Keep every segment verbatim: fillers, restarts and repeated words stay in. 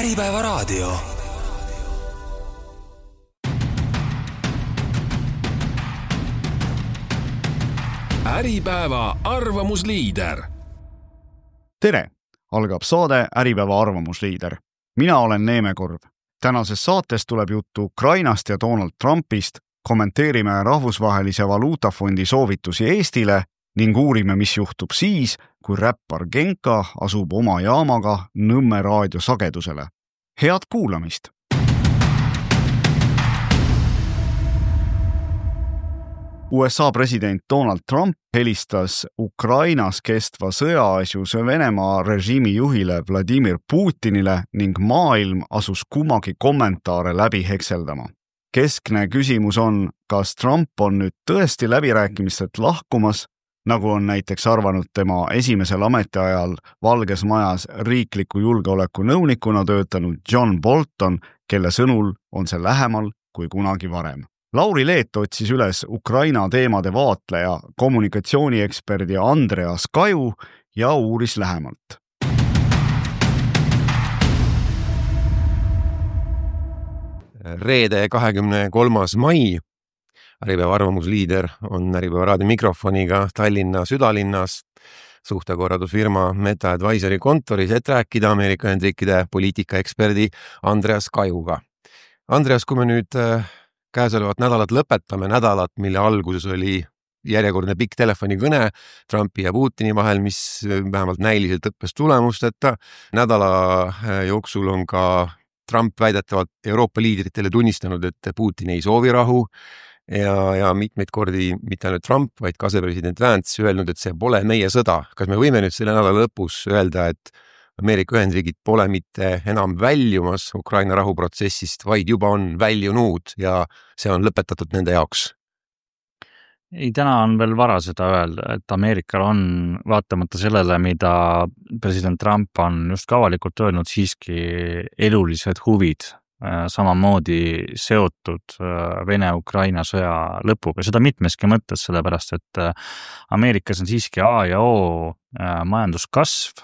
Äripäeva raadio. Äripäeva arvamusliider. Tere! Algab saade Äripäeva arvamusliider. Mina olen Neeme Korv. Tänases saates tuleb juttu Ukrainast ja Donald Trumpist, kommenteerime rahvusvahelise valuutafondi soovitusi Eestile ning uurime, mis juhtub siis, kui räppar Genka asub oma jaamaga Nõmme raadiosagedusele. Head kuulamist! U S A president Donald Trump helistas Ukrainas kestva sõjaasjus Venemaa režiimi juhile Vladimir Putinile ning maailm asus kummagi kommentaare läbi hekseldama. Keskne küsimus on, kas Trump on nüüd tõesti läbirääkimistelt lahkumas, nagu on näiteks arvanud tema esimesel ametiajal Valges Majas riikliku julgeoleku nõunikuna töötanud John Bolton, kelle sõnul on see lähemal kui kunagi varem. Lauri Leet otsis üles Ukraina teemade vaatleja, kommunikatsiooniekspert Andreas Kaju ja uuris lähemalt. Reede kahekümne kolmas mai. Äripäeva arvamusliider on Äripäeva raadio mikrofoniga Tallinna südalinnas suhtekorraldusfirma Meta Advisory kontoris, et rääkida Ameerika Ühendriikide poliitikaeksperdi Andreas Kajuga. Andreas, kui me nüüd käesolevat nädalat lõpetame, nädalat, mille alguses oli järjekordne pikk telefonikõne Trumpi ja Putini vahel, mis vähemalt näiliselt õppes tulemusteta. Nädala jooksul on ka Trump väidetavalt Euroopa liidritele tunnistanud, et Putin ei soovi rahu ja, ja mitmeid kordi mitte ainult Trump, vaid ka asepresident Vance öelnud, et see pole meie sõda. Kas me võime nüüd selle nädala lõpus öelda, et Ameerika Ühendriigid pole mitte enam väljumas Ukraina rahuprotsessist, vaid juba on väljunud ja see on lõpetatud nende jaoks? Ei, täna on veel vara seda öelda, et Ameerikal on vaatamata sellele, mida president Trump on just avalikult öelnud, siiski elulised huvid samamoodi seotud Vene-Ukraina sõja lõpuga. Seda mitmeski mõttes, sellepärast, et Ameerikas on siiski A ja O majanduskasv,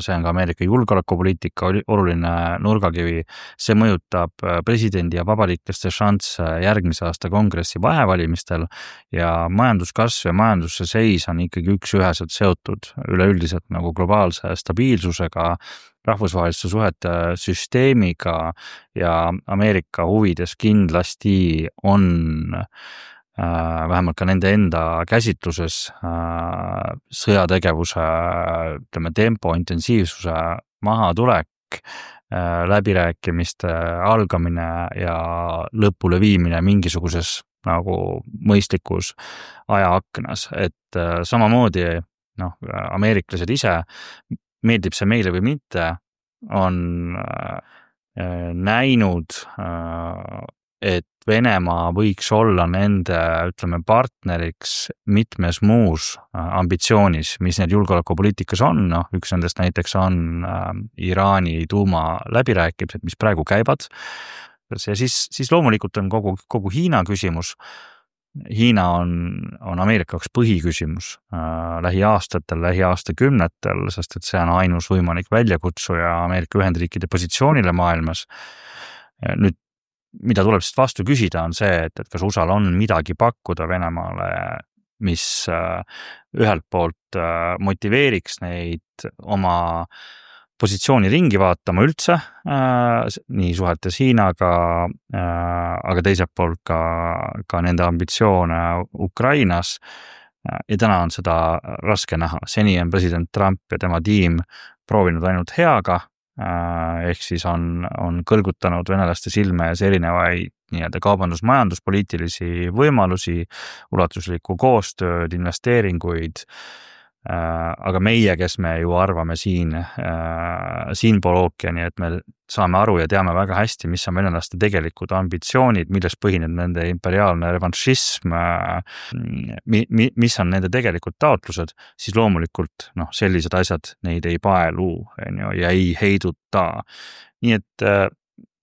see on ka Ameerika julgeolekupoliitika oluline nurgakivi, see mõjutab presidendi ja vabalikeste šansse järgmise aasta kongressi vahevalimistel ja majanduskasv ja majanduse seis on ikkagi üks üheselt seotud üleüldiselt nagu globaalse stabiilsusega, rahvusvaheliste suhete süsteemiga ja Ameerika huvides kindlasti on äh, vähemalt ka nende enda käsitluses äh, sõjategevuse ütleme, tempo, intensiivsuse mahatulek, äh, läbirääkimiste algamine ja lõpule viimine mingisuguses nagu mõistlikus ajaaknas, et äh, samamoodi noh, ameeriklased ise meeldib see meile või mitte, on näinud, et Venemaa võiks olla nende, ütleme, partneriks mitmes muus ambitsioonis, mis need julgeolekupoliitikas on. No, üks nendest näiteks on Iraani tuuma läbirääkimised, mis praegu käivad. Ja siis, siis loomulikult on kogu, kogu Hiina küsimus. Hiina on, on Ameerika jaoks põhiküsimus äh, lähiaastatel, lähiaastakümnetel, sest et see on ainus võimalik väljakutsuja Ameerika Ühendriikide positsioonile maailmas. Nüüd, mida tuleb sest vastu küsida, on see, et, et kas U S A-l on midagi pakkuda Venemaale, mis äh, ühelt poolt äh, motiveeriks neid oma positsiooni ringi vaatama üldse, äh, nii suhetes Hiinaga, äh, aga teiselt poolt ka, ka nende ambitsioone Ukrainas. Ja täna on seda raske näha. Seni on president Trump ja tema tiim proovinud ainult heaga, äh, ehk siis on, on kõlgutanud venelaste silme ees erinevaid nii-öelda kaubandus-majanduspoliitilisi võimalusi, ulatuslikku koostööd, investeeringuid, aga meie, kes me ju arvame siin, siinpool ookeani, et me saame aru ja teame väga hästi, mis on venelaste tegelikud ambitsioonid, milles põhineb nende imperiaalne revanšism, mis on nende tegelikud taotlused, siis loomulikult noh, sellised asjad neid ei paelu ja ei heiduta. Nii et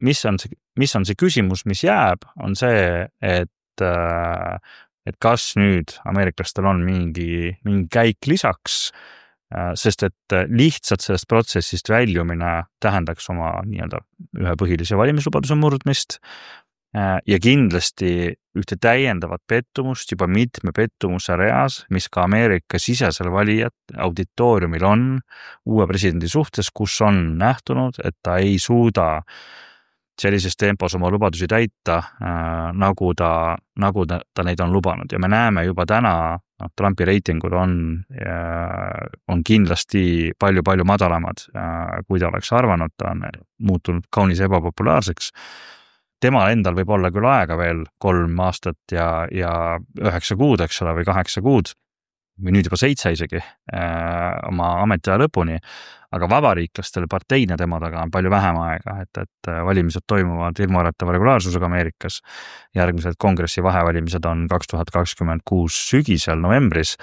mis on see, mis on see küsimus, mis jääb, on see, et et kas nüüd ameeriklastel on mingi, mingi käik lisaks sest et lihtsalt sellest protsessist väljumine tähendaks oma nii-öelda ühe põhilise valimislubaduse murdmist ja kindlasti ühte täiendavat pettumust juba mitme pettumuse reas, mis ka Ameerika sisesel valijat auditooriumil on uue presidendi suhtes, kus on nähtunud, et ta ei suuda sellises tempos oma lubadusi täita, äh, nagu, ta, nagu ta, ta neid on lubanud. Ja me näeme juba täna, no, Trumpi reitingud on, äh, on kindlasti palju-palju madalamad, äh, kui ta oleks arvanud, ta on muutunud kaunis ebapopulaarseks. Temal endal võib olla küll aega veel kolm aastat ja, ja üheksa kuud, eks ole, või kaheksa kuud, või nüüd juba seitse isegi äh, oma ametiaja lõpuni, aga vabariiklastel parteina tema taga on palju vähem aega, et, et valimised toimuvad ilmuäratava regulaarsusega Ameerikas. Järgmised kongressi vahevalimised on kaks tuhat kakskümmend kuus sügisel novembris,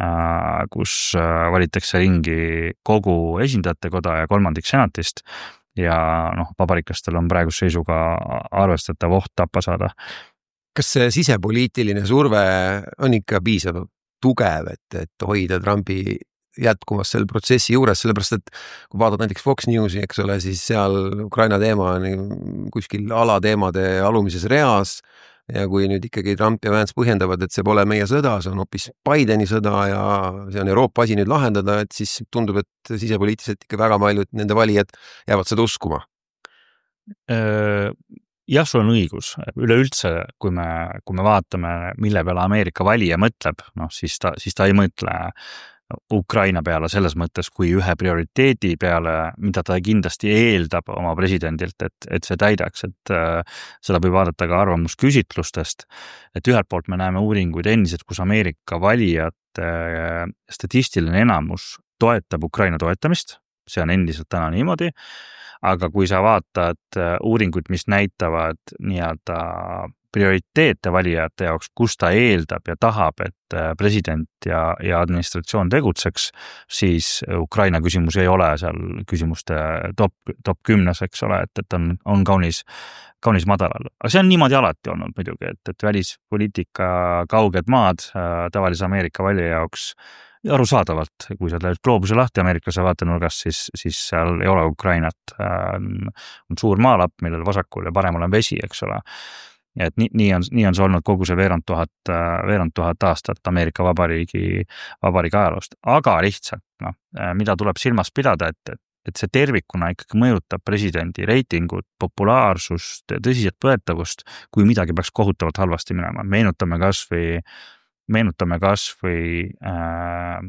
äh, kus valitakse ringi kogu esindajate koda ja kolmandik senatist ja noh, vabariiklastel on praeguse seisuga arvestatav oht tappa saada. Kas see sisepoliitiline surve on ikka piisav tugev, et, et hoida Trumpi jätkumas selle protsessi juures, sellepärast et kui vaadata näiteks Fox Newsi, eks ole, siis seal Ukraina teema on kuskil alateemade alumises reas ja kui nüüd ikkagi Trump ja Vance põhjendavad, et see pole meie sõda, see on hoopis Bideni sõda ja see on Euroopa asi nüüd lahendada, et siis tundub, et sisepoliitiliselt ikka väga paljud nende valijad jäävad seda uskuma. Jah, sul on õigus. Üleüldse, kui me, kui me vaatame, mille peale Ameerika valija mõtleb, noh, siis ta, siis ta ei mõtle Ukraina peale selles mõttes kui ühe prioriteedi peale, mida ta kindlasti eeldab oma presidendilt, et, et see täidaks, et äh, seda võib vaadata ka arvamusküsitlustest, et ühelt poolt me näeme uuringuid endiselt, kus Ameerika valijate äh, statistiline enamus toetab Ukraina toetamist, see on endiselt täna niimoodi, aga kui sa vaatad uuringuid, mis näitavad nii-öelda prioriteete valijate jaoks, kus ta eeldab ja tahab, et president ja, ja administratsioon tegutseks, siis Ukraina küsimus ei ole seal küsimuste top, top kümnes, eks ole, et, et on, on kaunis, kaunis madalal. Aga see on niimoodi alati olnud muidugi, et, et välispoliitika kauged maad tavalise Ameerika valija jaoks arusaadavalt, kui sa teed gloobuse lahti ameeriklase vaatenurgast, siis, siis seal ei ole Ukrainat. On suur maalapp, millel vasakul ja paremal on vesi, eks ole. Ja et nii, nii, on, nii on see olnud kogu see veerand tuhat, veerand tuhat aastat Ameerika vabariigi, vabariigi ajaloost. Aga lihtsalt, no, mida tuleb silmas pidada, et, et see tervikuna ikkagi mõjutab presidendi reitingut, populaarsust, tõsiselt võetavust, kui midagi peaks kohutavalt halvasti minema. Meenutame kas või meenutame kas või äh,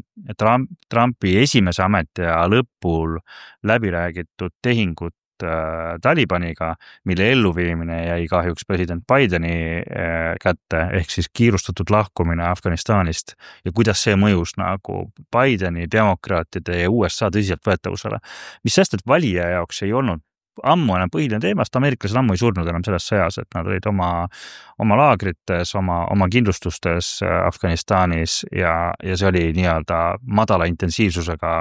Trump, Trumpi esimese ametiaja lõpul läbiräägitud tehingut äh, Talibaniga, mille elluviimine jäi kahjuks president Bideni äh, kätte, ehk siis kiirustatud lahkumine Afganistanist ja kuidas see mõjus nagu Bideni, demokraatide ja U S A tõsiselt võetavusele. Mis sest, et valija jaoks ei olnud ammu enam põhiline teemast, ameeriklased ammu ei surnud enam selles sõjas, et nad olid oma, oma laagrites, oma, oma kindlustustes Afganistanis ja, ja see oli nii-öelda madala intensiivsusega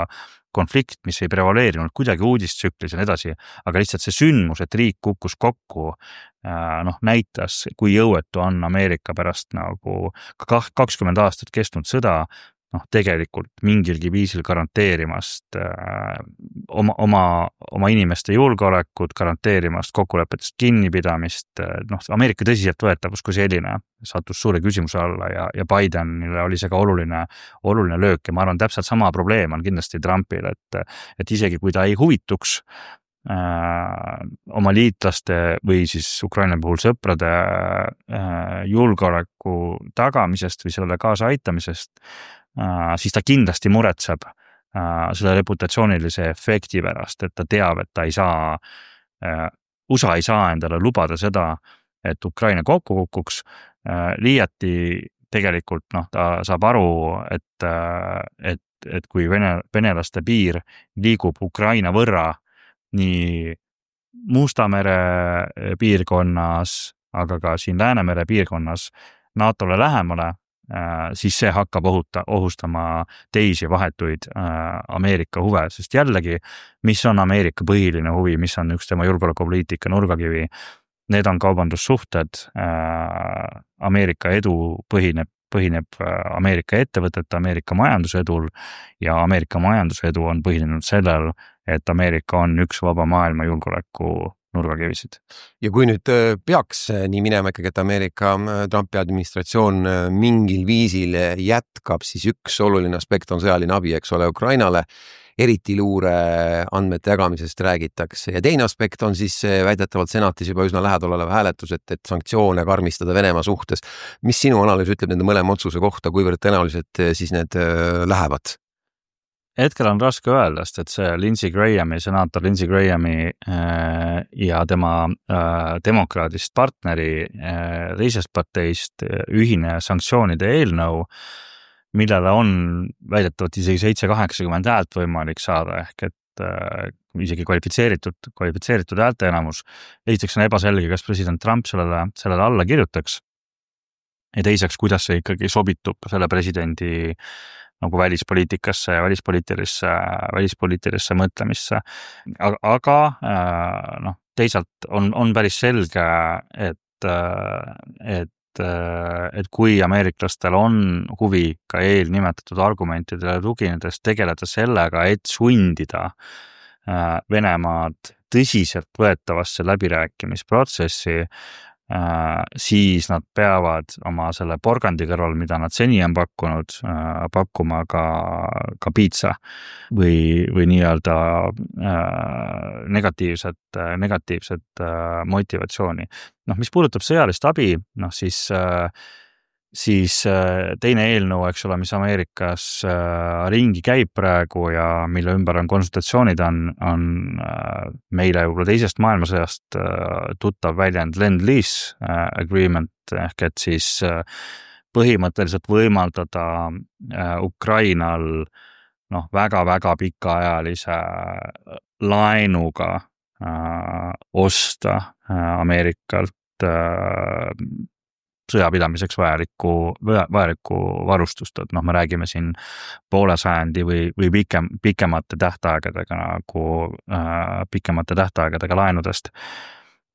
konflikt, mis ei prevaleerinud kuidagi uudistsüklis ja nii edasi, aga lihtsalt see sündmus, et riik kukkus kokku, noh, näitas, kui jõuetu on Ameerika pärast nagu kakskümmend aastat kestnud sõda, noh, tegelikult mingilgi viisil garanteerimast äh, oma, oma, oma inimeste julgeolekut, garanteerimast kokkulepetest kinnipidamist, noh, Ameerika tõsiselt võetavus kui selline sattus suure küsimuse alla ja, ja Bidenile oli see ka oluline, oluline löök ja ma arvan, täpselt sama probleem on kindlasti Trumpil, et, et isegi kui ta ei huvituks äh, oma liitlaste või siis Ukraina puhul sõprade äh, julgeoleku tagamisest või selle kaasa aitamisest, Uh, siis ta kindlasti muretseb uh, selle reputatsioonilise efekti pärast, et ta teab, et ta ei saa, uh, U S A ei saa endale lubada seda, et Ukraina kokku kukuks. Uh, liiati tegelikult noh, ta saab aru, et, uh, et, et kui vene, venelaste piir liigub Ukraina võrra nii Musta mere piirkonnas, aga ka siin Läänemere piirkonnas NATOle lähemale, siis see hakkab ohuta, ohustama teisi vahetuid äh, Ameerika huve, sest jällegi, mis on Ameerika põhiline huvi, mis on üks tema julgeolekupoliitika nurgakivi, need on kaubandussuhted, äh, Ameerika edu põhineb põhineb Ameerika ettevõtete, Ameerika majandusedul ja Ameerika majandusedu on põhinenud sellel, et Ameerika on üks vaba maailma julgeoleku nurgakivisid. Ja kui nüüd peaks nii minema ikkagi, et Ameerika Trumpi administratsioon mingil viisil jätkab, siis üks oluline aspekt on sõjaline abi, eks ole, Ukrainale, eriti luure andmete jagamisest räägitakse. Ja teine aspekt on siis väidetavalt senatis juba üsna lähedal olev hääletus, et, et sanktsioone karmistada Venemaa suhtes. Mis sinu analüüs ütleb nende mõlema otsuse kohta, kuivõrd tõenäoliselt siis need lähevad? Hetkel on raske öelda, et see Lindsey Grahami, senaator Lindsey Grahami ja tema demokraadist partneri teisest parteist ühine sanktsioonide eelnõu, millele on väidetavalt isegi seitse kaheksakümmend häält võimalik saada, ehk et isegi kvalifitseeritud, kvalifitseeritud häälte enamus. Esiteks on ebaselge, kas president Trump sellele, sellele alla kirjutaks ja teiseks, kuidas see ikkagi sobitub selle presidendi nagu välispoliitikasse ja välispoliitilisse, välispoliitilisse mõtlemisse. Aga, aga noh, teisalt on, on päris selge, et, et et kui ameeriklastel on huvi ka eelnimetatud argumentidele tuginedes tegeleda sellega, et sundida Venemaad tõsiselt võetavasse läbirääkimisprotsessi, siis nad peavad oma selle porgandi kõrval, mida nad seni on pakkunud, pakkuma ka, ka piitsa või, või nii-öelda negatiivset, negatiivset motivatsiooni. Noh, mis puudutab sõjalist abi, noh siis, siis teine eelnõu, eks ole, mis Ameerikas ringi käib praegu ja mille ümber on konsultatsioonid, on, on meile juba teisest maailmasõjast tuttav väljend Lend-Lease agreement, ehk et siis põhimõtteliselt võimaldada Ukrainal noh, väga-väga pikaajalise laenuga osta Ameerikalt sõjapidamiseks vajalikku, vajalikku varustust, et noh, me räägime siin poole sajandi või, või pikem, pikemate tähtaegadega nagu äh, pikemate tähtaegadega laenudest.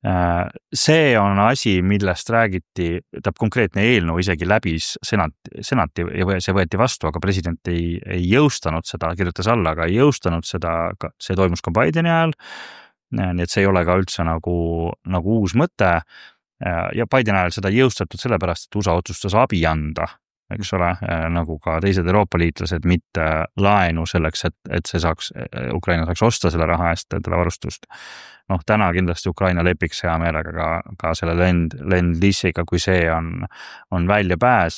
Äh, see on asi, millest räägiti, täp konkreetne eelnõu isegi läbis senati, senati ja see võeti vastu, aga president ei, ei jõustanud seda, kirjutas alla, aga ei jõustanud seda, see toimus ka Bideni ajal, nii et see ei ole ka üldse nagu, nagu uus mõte. Ja Bideni ajal seda jõustatud sellepärast, et U S A otsustas abi anda, eks ole, nagu ka teised Euroopa liitlased, mitte laenu selleks, et, et see saaks, Ukraina saaks osta selle raha eest, selle varustust. Noh, täna kindlasti Ukraina lepiks hea meelega ka, ka selle lend, lend-lease'iga, kui see on, on välja pääs.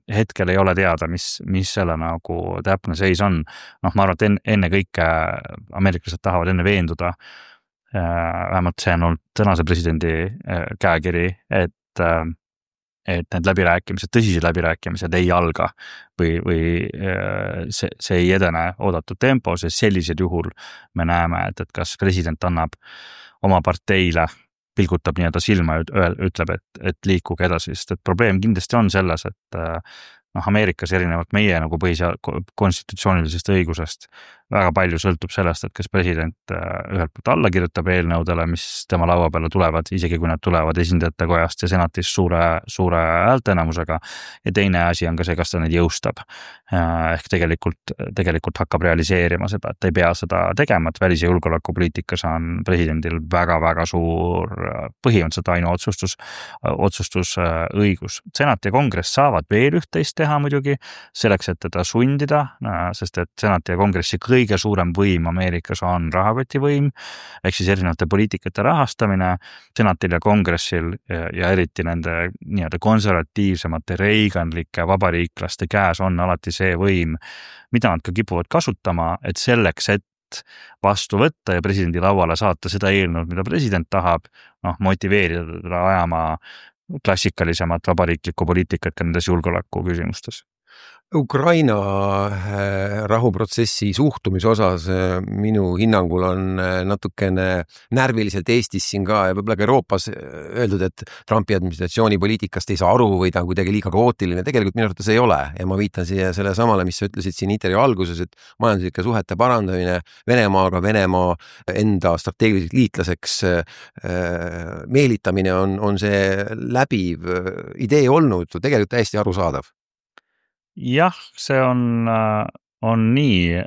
Hetkel ei ole teada, mis, mis selle nagu täpne seis on. Noh, ma arvan, et enne, enne kõike ameeriklased tahavad enne veenduda, vähemalt see on olnud tänase presidendi käekiri, et, et need läbirääkimised, tõsised läbirääkimised ei alga või, või see, see ei edene oodatud tempos ja sellisel juhul me näeme, et, et kas president annab oma parteile, pilgutab nii-öelda silma ja ütleb, et, et liikuge edasi, sest et probleem kindlasti on selles, et noh, Ameerikas erinevalt meie nagu põhisead konstitutsioonilisest õigusest väga palju sõltub sellest, et kas president ühelt poolt alla kirjutab eelnõudele, mis tema laua peale tulevad, isegi kui nad tulevad esindajate kojast ja senatist suure, suure häälteenamusega. Ja teine asi on ka see, kas ta neid jõustab. Ehk tegelikult, tegelikult hakkab realiseerima seda, et ei pea seda tegema, et välis- ja julgeolekupoliitikas on presidendil väga-väga suur põhimõtteliselt ainu otsustus, otsustusõigus. Senat ja kongress saavad veel üht-teist teha muidugi selleks, et teda sundida, sest et senat ja kongressi kõige suurem võim Ameerikas on rahakotivõim, ehk siis erinevate poliitikate rahastamine. Senatil ja kongressil ja, ja eriti nende nii-öelda konservatiivsemate reiganlike vabariiklaste käes on alati see võim, mida nad ka kipuvad kasutama, et selleks, et vastu võtta ja presidendi lauale saata seda eelnõud, mida president tahab, noh, motiveerida teda ajama klassikalisemat vabariiklikku poliitikat ka nendes julgeoleku küsimustes. Ukraina rahuprotsessi suhtumise osas minu hinnangul on natukene närviliselt Eestis siin ka ja võib-olla ka Euroopas öeldud, et Trumpi administratsiooni poliitikast ei saa aru või ta on kuidagi liiga kaootiline. Tegelikult minu arvates ei ole ja ma viitan siia selle samale, mis sa ütlesid siin intervjuu alguses, et majanduslike suhete parandamine Venemaaga, Venemaa enda strateegiliseks liitlaseks meelitamine on, on see läbiv idee olnud, tegelikult täiesti arusaadav. Jah, see on, on nii,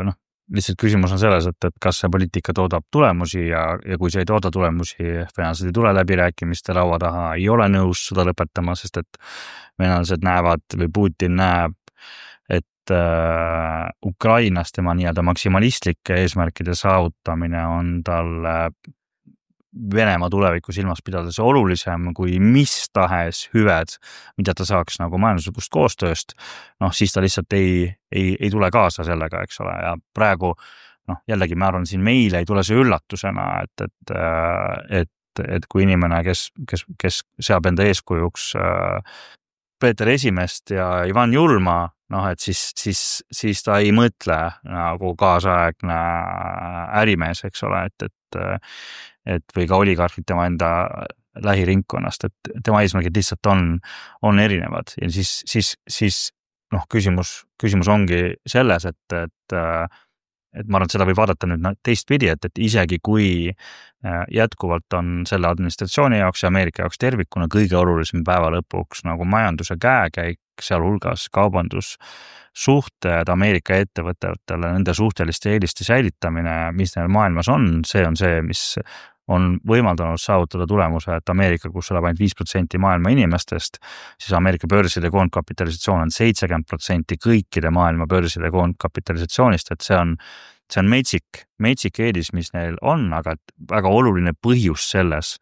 noh, lihtsalt küsimus on selles, et, et kas see poliitika toodab tulemusi ja, ja kui see ei tooda tulemusi, venelased ei tule läbirääkimiste laua taha, ei ole nõus seda lõpetama, sest et venelased näevad või Putin näeb, et äh, Ukrainas tema nii-öelda maksimalistlikke eesmärkide saavutamine on talle Venemaa tuleviku silmas pidades olulisem kui mis tahes hüved, mida ta saaks nagu majanduslikust koostööst, noh siis ta lihtsalt ei, ei, ei tule kaasa sellega, eks ole, ja praegu noh, jällegi ma arvan, siin meile ei tule see üllatusena, et, et, et, et kui inimene, kes, kes, kes seab enda eeskujuks Peeter Esimest ja Ivan Julma, noh, et siis, siis, siis ta ei mõtle nagu kaasaegne ärimees, eks ole, et, et, et või ka oligarhid tema enda lähiringkonnast, et tema eesmärgid lihtsalt on, on erinevad ja siis, siis, siis noh, küsimus, küsimus ongi selles, et, et, et ma arvan, et seda võib vaadata nüüd teistpidi, et, et isegi kui jätkuvalt on selle administratsiooni jaoks ja Ameerika jaoks tervikuna kõige olulisem päeva lõpuks nagu majanduse käekäik, sealhulgas kaubandussuhted Ameerika ettevõtetele, nende suhteliste eeliste säilitamine, mis neil maailmas on, see on see, mis on võimaldanud saavutada tulemuse, et Ameerika, kus elab ainult viis protsenti maailma inimestest, siis Ameerika börside koondkapitalisatsioon on seitsekümmend protsenti kõikide maailma börside koondkapitalisatsioonist, et see on, see on metsik, metsik eelis, mis neil on, aga väga oluline põhjus selles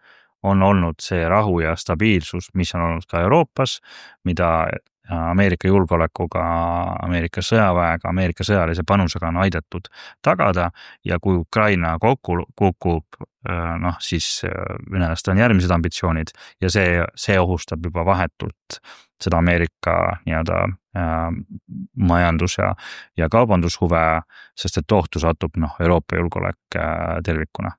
on olnud see rahu ja stabiilsus, mis on olnud ka Euroopas, mida Ameerika julgeolekuga, Ameerika sõjaväega, Ameerika sõjalise panusega on aidatud tagada ja kui Ukraina kokku kukub, noh siis venelastel on järgmised ambitsioonid ja see, see ohustab juba vahetult seda Ameerika nii-öelda majandus- ja, ja kaubandushuve, sest et ohtu satub noh, Euroopa julgeolek tervikuna.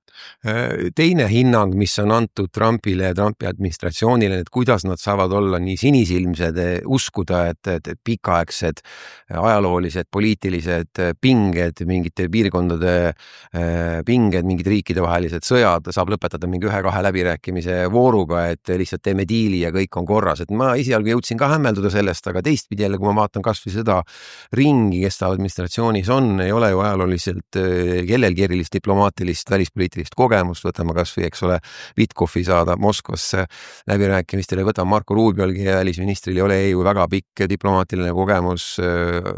Teine hinnang, mis on antud Trumpile ja Trumpi administratsioonile, et kuidas nad saavad olla nii sinisilmsed, uskuda, et, et, et pikaaegsed ajaloolised, poliitilised pinged, mingite piirkondade pinged, mingid riikide vahelised sõjad saab lõpetada mingi ühe-kahe läbirääkimise vooruga, et lihtsalt teeme diili ja kõik on korras. Et ma esialgu jõudsin ka hämmelduda sellest, aga teistpidi jälle, kui ma vaatan kas või seda ringi, kes ta administratsioonis on, ei ole ju ajalooliselt kellelgi erilist diplomaatilist, välispoliitilist kogemust, võtame kas või, eks ole, Witkoffi saada Moskvasse läbirääkimistele, võtame Marco Rubiolgi ja välisministril ei ole ju väga pikk diplomaatiline kogemus,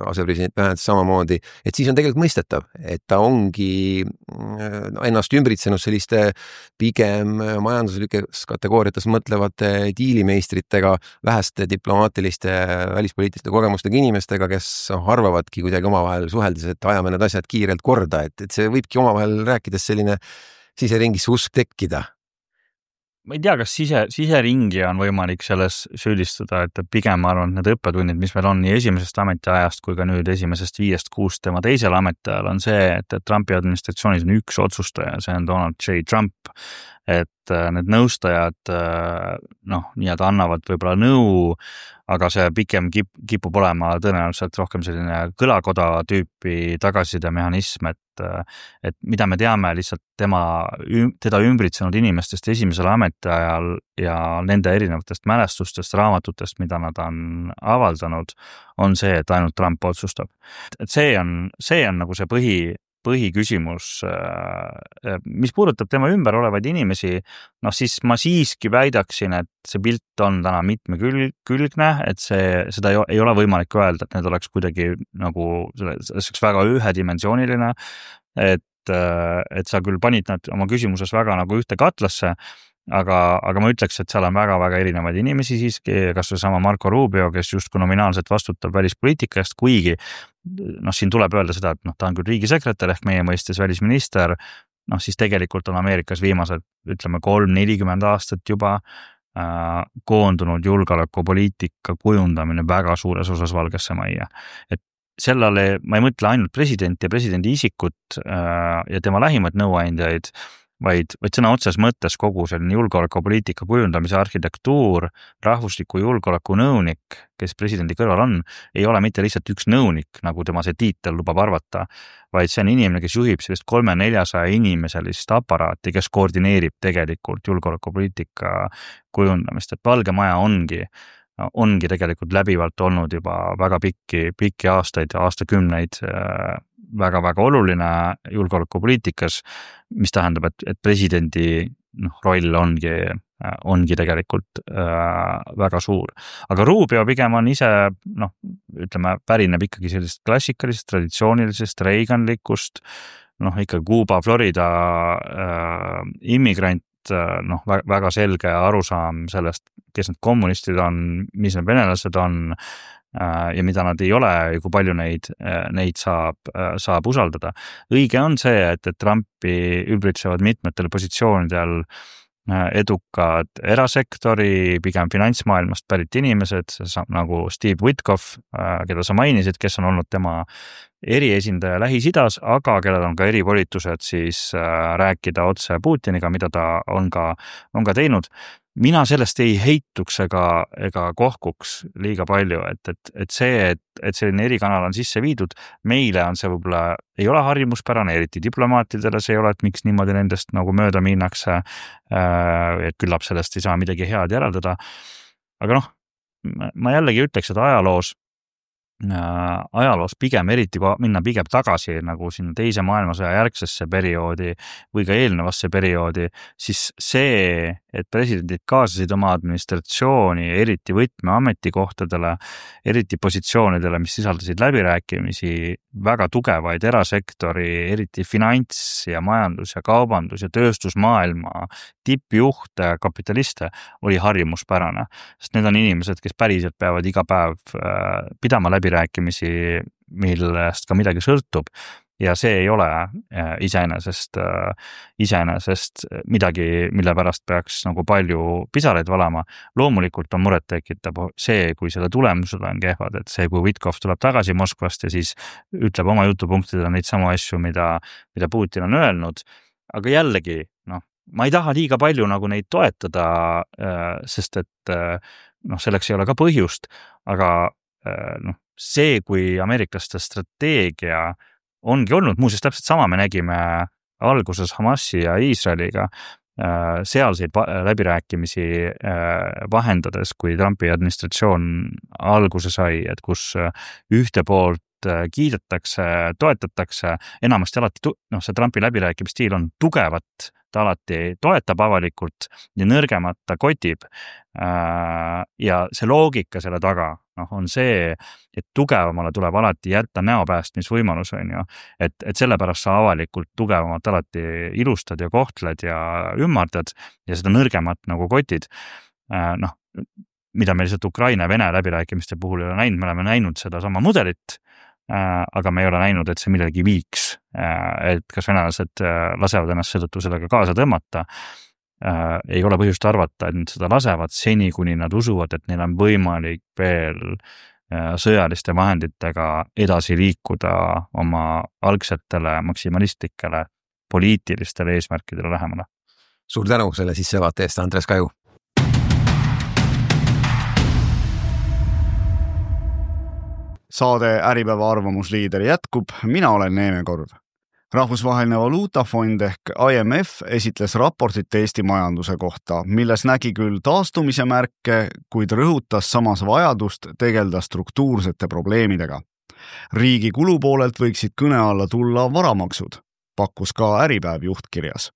asepresident Vance samamoodi, et siis on tegelikult mõistetav, et ta ongi ennast ümbritsenud selliste pigem majanduslikes kategooriates mõtlevate diilimeistritega, väheste diplomaatiliste välispoliitiliste kogemustega inimestega, kes arvavadki kuidagi omavahel suheldes, et ajame need asjad kiirelt korda, et, et see võibki omavahel rääkides selline siseringis usk tekkida. Ma ei tea, kas sise, siseringi on võimalik selles süüdistada, et pigem ma arvan, et need õppetunnid, mis meil on nii esimesest ametiajast kui ka nüüd esimesest viiest kuust tema teisel ametiajal on see, et Trumpi administratsioonis on üks otsustaja, see on Donald J. Trump, et need nõustajad noh, nii-öelda annavad võib-olla nõu, aga see pikem kip, kipub olema tõenäoliselt rohkem selline kõlakoda tüüpi tagasisidemehhanism, et, et mida me teame lihtsalt tema, teda ümbritsenud inimestest esimesel ametiajal ja nende erinevatest mälestustest, raamatutest, mida nad on avaldanud, on see, et ainult Trump otsustab. Et see on, see on nagu see põhi põhiküsimus, mis puudutab tema ümber olevaid inimesi, noh siis ma siiski väidaksin, et see pilt on täna mitmekülgne, et see, seda ei ole võimalik öelda, et need oleks kuidagi nagu, see oleks väga ühedimensiooniline, et, et sa küll panid nad oma küsimuses väga nagu ühte katlasse, aga, aga ma ütleks, et seal on väga-väga erinevaid inimesi siiski, kas või sama Marco Rubio, kes justkui nominaalselt vastutab välispoliitika eest, kuigi noh, siin tuleb öelda seda, et noh, ta on küll riigisekretär ehk meie mõistes välisminister, noh siis tegelikult on Ameerikas viimased, ütleme, kolm nelikümmend aastat juba koondunud julgeolekupoliitika kujundamine väga suures osas Valgesse Majja. Et sellele ma ei mõtle ainult presidenti ja presidendi isikut ja tema lähimaid nõuandjaid, vaid, vaid sõna otses mõttes kogu selline julgeolekupoliitika kujundamise arhitektuur, rahvusliku julgeoleku nõunik, kes presidendi kõrval on, ei ole mitte lihtsalt üks nõunik, nagu tema see tiitel lubab arvata, vaid see on inimene, kes juhib sellist kolme-neljasaja inimeselist aparaati, kes koordineerib tegelikult julgeolekupoliitika kujundamist, et Valge Maja ongi ongi tegelikult läbivalt olnud juba väga pikki, pikki aastaid ja aastakümneid väga-väga oluline julgeolekupoliitikas, mis tähendab, et, et presidendi noh, roll ongi, ongi tegelikult äh, väga suur. Aga Rubio pigem on ise, noh, ütleme, pärineb ikkagi sellist klassikalisest, traditsioonilisest, reiganlikust, noh, ikka Kuuba, Florida äh, immigrant, noh, väga selge arusaam sellest, kes need kommunistid on, mis need venelased on ja mida nad ei ole ja kui palju neid, neid saab, saab usaldada. Õige on see, et, et Trumpi ülbritsevad mitmetel positsioonidel edukad erasektori, pigem finantsmaailmast pärit inimesed, nagu Steve Witkoff, keda sa mainisid, kes on olnud tema eriesindaja Lähis-Idas, aga kellel on ka erivolitused siis rääkida otse Putiniga, mida ta on ka, on ka teinud. Mina sellest ei heituks ega, ega kohkuks liiga palju, et, et, et see, et, et selline erikanal on sisse viidud, meile on see võib-olla, ei ole harjumuspärane, eriti diplomaatidele see ei ole, et miks niimoodi nendest nagu mööda minnakse, et küllap sellest ei saa midagi head järeldada. Aga noh, ma jällegi ütleks, et ajaloos ajaloos pigem eriti kui minna pigem tagasi nagu sinna teise maailmasõja järgsesse perioodi või ka eelnevasse perioodi, siis see, et presidendid kaasasid oma administratsiooni eriti võtme ametikohtadele, eriti positsioonidele, mis sisaldasid läbirääkimisi, väga tugevaid erasektori, eriti finants ja majandus ja kaubandus ja tööstusmaailma tippjuhte, kapitaliste, oli harjumuspärane. Sest need on inimesed, kes päriselt peavad iga päev pidama läbirääkimisi, millest ka midagi sõltub. Ja see ei ole iseenesest, iseenesest midagi, mille pärast peaks nagu palju pisaraid valama. Loomulikult on muret tekitab see, kui selle tulemused on kehvad, et see, kui Witkoff tuleb tagasi Moskvast ja siis ütleb oma jutupunktidele neid samu asju, mida, mida Putin on öelnud. Aga jällegi, noh, ma ei taha liiga palju nagu neid toetada, sest et noh, selleks ei ole ka põhjust, aga noh, see, kui ameeriklaste strateegia ongi olnud, muuseas täpselt sama me nägime alguses Hamasi ja Iisraeliga sealseid läbirääkimisi vahendades, kui Trumpi administratsioon alguse sai, et kus ühte poolt kiidetakse, toetatakse, enamasti alati, noh, see Trumpi läbirääkimisstiil on tugevat, ta alati toetab avalikult ja nõrgemat ta kotib. Ja see loogika selle taga noh, on see, et tugevamale tuleb alati jätta näopäästmisvõimalus, on ju. Et, et sellepärast sa avalikult tugevamat alati ilustad ja kohtled ja ümmardad ja seda nõrgemat nagu kotid. Noh, mida me lihtsalt Ukraina ja Vene läbirääkimiste puhul ei ole näinud, me oleme näinud seda sama mudelit, aga me ei ole näinud, et see millegi viiks, et kas venelased lasevad ennast seetõttu sellega kaasa tõmmata. Ei ole põhjust arvata, et nad seda lasevad seni, kuni nad usuvad, et neil on võimalik veel sõjaliste vahenditega edasi liikuda oma algsetele maksimalistlikele poliitilistele eesmärkidele lähemale. Suur tänu selle sissevaate eest, Andres Kaju. Saade Äripäeva arvamusliider jätkub, mina olen Neeme Korv. Rahvusvaheline valuutafond ehk I M F esitles raportit Eesti majanduse kohta, milles nägi küll taastumise märke, kuid rõhutas samas vajadust tegelda struktuursete probleemidega. Riigi kulupoolelt võiksid kõne alla tulla varamaksud, pakkus ka Äripäev juhtkirjas.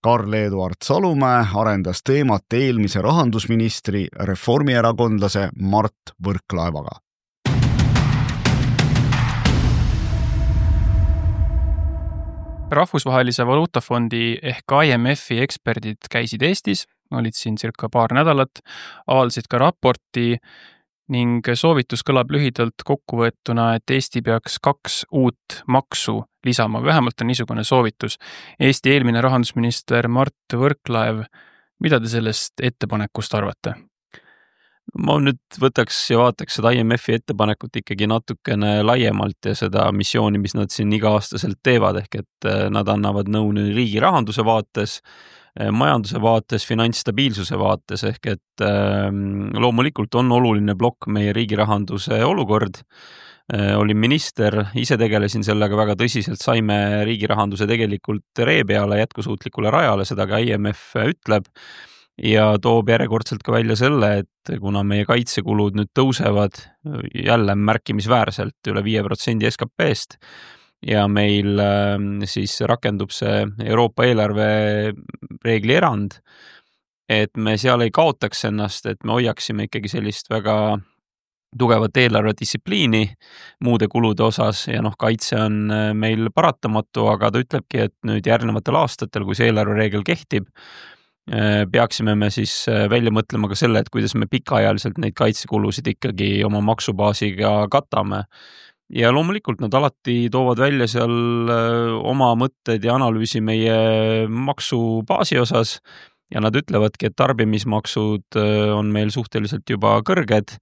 Karl-Eduard Salumäe arendas teemat eelmise rahandusministri reformierakondlase Mart Võrklaevaga. Rahvusvahelise valuutafondi ehk I M F-i eksperdid käisid Eestis, olid siin circa paar nädalat, avaldasid ka raporti ning soovitus kõlab lühidalt kokkuvõetuna, et Eesti peaks kaks uut maksu lisama, vähemalt on niisugune soovitus. Eesti eelmine rahandusminister Mart Võrklaev Mida te sellest ettepanekust arvate? Ma nüüd võtaks ja vaataks seda I M F-i ettepanekut ikkagi natukene laiemalt ja seda missiooni, mis nad siin iga-aastaselt teevad, ehk et nad annavad nõu riigi rahanduse vaates, majanduse vaates, finantsstabiilsuse vaates, ehk et loomulikult on oluline plokk meie riigi rahanduse olukord. Olin minister, ise tegelesin sellega väga tõsiselt, saime riigi rahanduse tegelikult ree peale, jätkusuutlikule rajale, seda ka I M F ütleb. Ja toob järjekordselt ka välja selle, et kuna meie kaitsekulud nüüd tõusevad jälle märkimisväärselt üle viie protsendi S K P-st ja meil siis rakendub see Euroopa eelarve reegli erand, et me seal ei kaotaks ennast, et me hoiaksime ikkagi sellist väga tugevat eelarvedistsipliini muude kulude osas ja noh, kaitse on meil paratamatu, aga ta ütlebki, et nüüd järgnevatel aastatel, kui see eelarve reegel kehtib, peaksime me siis välja mõtlema ka selle, et kuidas me pikaajaliselt neid kaitsekulusid ikkagi oma maksubaasiga katame. Ja loomulikult nad alati toovad välja seal oma mõtted ja analüüsi meie maksubaasi osas ja nad ütlevadki, et tarbimismaksud on meil suhteliselt juba kõrged.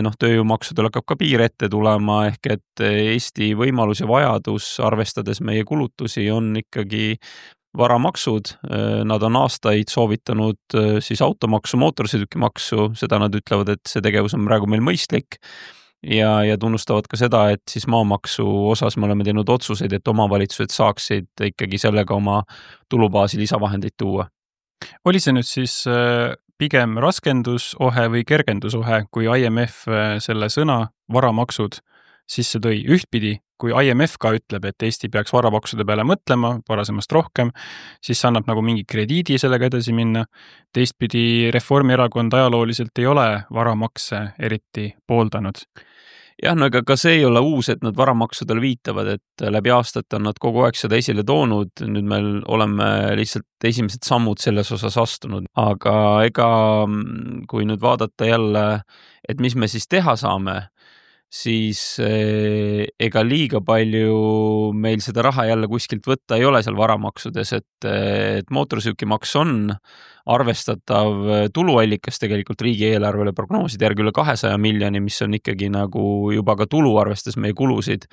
Noh, tööjõumaksudel hakkab ka piir ette tulema, ehk et Eesti võimalus ja vajadus, arvestades meie kulutusi, on ikkagi varamaksud. Nad on aastaid soovitanud siis automaksu, mootorsõidukimaksu, seda nad ütlevad, et see tegevus on praegu meil mõistlik ja, ja tunnustavad ka seda, et siis maamaksu osas me oleme teinud otsuseid, et omavalitsused saaksid ikkagi sellega oma tulubaasi lisavahendeid tuua. Oli see nüüd siis pigem raskendusohe või kergendusohe, kui I M F selle sõna varamaksud sisse tõi ühtpidi, kui I M F ka ütleb, et Eesti peaks varamaksude peale mõtlema varasemast rohkem, siis annab nagu mingi krediidi sellega edasi minna. Teistpidi Reformierakond ajalooliselt ei ole varamakse eriti pooldanud. Jah, no ega ka see ei ole uus, et nad varamaksudele viitavad, et läbi aastat on nad kogu aeg seda esile toonud, nüüd meil oleme lihtsalt esimesed sammud selles osas astunud, aga ega kui nüüd vaadata jälle, et mis me siis teha saame, siis ega liiga palju meil seda raha jälle kuskilt võtta ei ole seal varamaksudes, et, et mootorsõidukimaks on arvestatav tuluallikas tegelikult riigieelarvele, prognooside järgi üle kahesaja miljoni, mis on ikkagi nagu juba ka tulu arvestas meie kulusid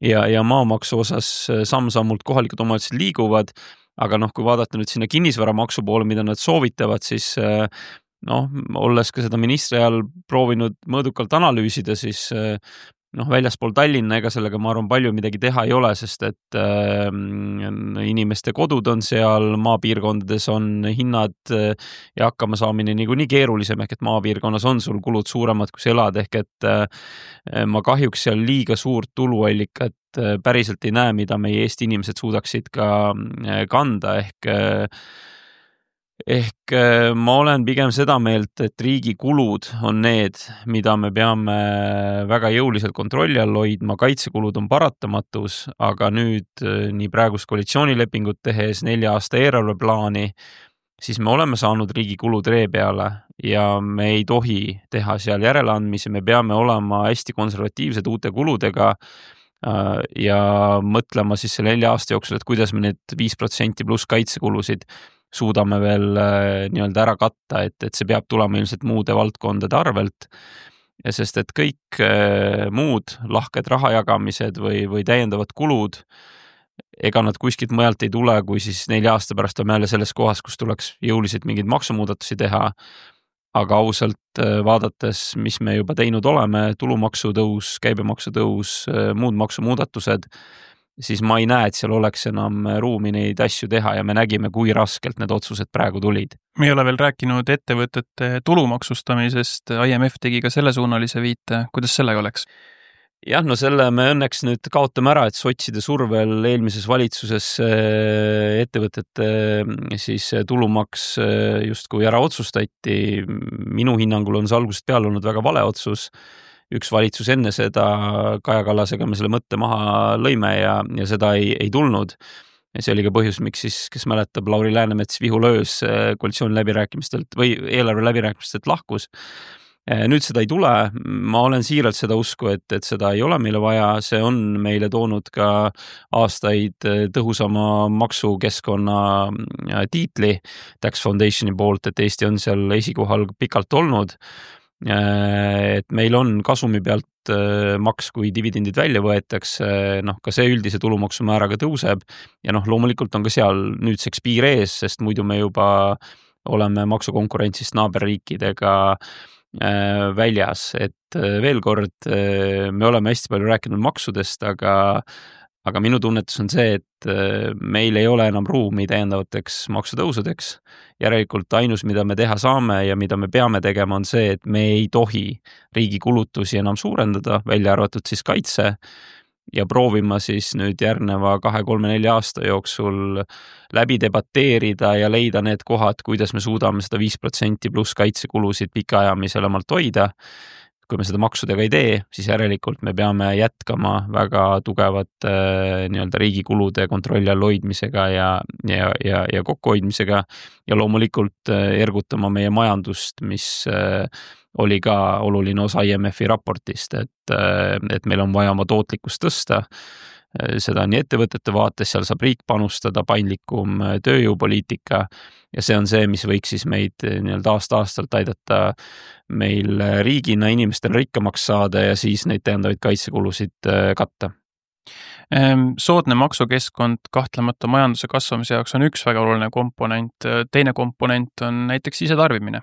ja, ja maamaksu osas samm-sammult kohalikud omavalitsused liiguvad, aga noh, kui vaadata nüüd sinna kinnisvaramaksu poole, mida nad soovitavad, siis noh, olles ka seda ministri ajal proovinud mõõdukalt analüüsida, siis noh, väljaspool Tallinna, ega sellega ma arvan palju midagi teha ei ole, sest et äh, inimeste kodud on seal, maapiirkondades on hinnad ja hakkama saamine niikuinii keerulisem, ehk et maapiirkonnas on sul kulud suuremad, kui sa elad, ehk et äh, ma kahjuks seal liiga suurt tuluallikat äh, päriselt ei näe, mida meie Eesti inimesed suudaksid ka äh, kanda, ehk äh, Ehk ma olen pigem seda meelt, et riigi kulud on need, mida me peame väga jõuliselt kontrolli all hoidma, kaitsekulud on paratamatus, aga nüüd nii praegust koalitsioonilepingut tehes nelja aasta eelarveplaani, siis me oleme saanud riigi kulud ree peale ja me ei tohi teha seal järeleandmisi, me peame olema hästi konservatiivsed uute kuludega ja mõtlema siis selle nelja aasta jooksul, et kuidas me need viis protsenti pluss kaitsekulusid suudame veel nii-öelda ära katta, et, et see peab tulema ilmselt muude valdkondade arvelt, ja sest et kõik muud lahked rahajagamised või, või täiendavad kulud, ega nad kuskilt mujalt ei tule, kui siis nelja aasta pärast on jälle selles kohas, kus tuleks jõuliselt mingeid maksumuudatusi teha, aga ausalt vaadates, mis me juba teinud oleme, tulumaksu tõus, käibemaksu tõus, muud maksumuudatused, siis ma ei näe, et seal oleks enam ruumi neid asju teha ja me nägime, kui raskelt need otsused praegu tulid. Me ei ole veel rääkinud ettevõtete tulumaksustamisest, I M F tegi ka selle suunalise viite, kuidas sellega oleks? Jah, no selle me õnneks nüüd kaotame ära, et sotside survel eelmises valitsuses ettevõtete siis tulumaks justkui ära otsustati. Minu hinnangul on see algusest peale olnud väga vale otsus. Üks valitsus enne seda Kaja Kallasega me selle mõtte maha lõime ja, ja seda ei, ei tulnud. Ja see oli ka põhjus, miks siis, kes mäletab, Lauri Läänemets vihulöös koalitsiooni läbirääkimistelt või eelarve läbirääkimistelt lahkus. nüüd seda ei tule, ma olen siiralt seda usku, et, et seda ei ole meile vaja, see on meile toonud ka aastaid tõhusama maksukeskkonna tiitli Tax Foundationi poolt, et Eesti on seal esikohal pikalt olnud, et meil on kasumi pealt maks, kui dividendid välja võetakse, noh ka see üldise tulumaksumääraga tõuseb ja noh, loomulikult on ka seal nüüdseks piir ees, sest muidu me juba oleme maksukonkurentsist naaberriikidega väljas, et veel kord me oleme hästi palju rääkinud maksudest, aga, aga minu tunnetus on see, et meil ei ole enam ruumi täiendavateks maksutõusudeks. Järelikult ainus, mida me teha saame ja mida me peame tegema, on see, et me ei tohi riigi kulutusi enam suurendada, välja arvatud siis kaitse ja proovima siis nüüd järgneva kahe, kolme, nelja aasta jooksul läbi debateerida ja leida need kohad, kuidas me suudame seda viis protsenti pluss kaitsekulusid pikaajamiselemalt hoida. Kui me seda maksudega ei tee, siis järelikult me peame jätkama väga tugevat nii-öelda riigi kulude kontrolli all hoidmisega ja, ja, ja, ja kokkuhoidmisega ja loomulikult ergutama meie majandust, mis oli ka oluline osa I M F-i raportist, et, et meil on vaja oma tootlikkust tõsta. Seda nii ettevõtete vaates, seal saab riik panustada, paindlikum tööjõupoliitika ja see on see, mis võiks siis meid nii-öelda aasta-aastalt aidata meil riigina inimestel rikkamaks saada ja siis neid täiendavaid kaitsekulusid katta. Soodne maksukeskkond kahtlemata majanduse kasvamise jaoks on üks väga oluline komponent. Teine komponent on näiteks sisetarbimine.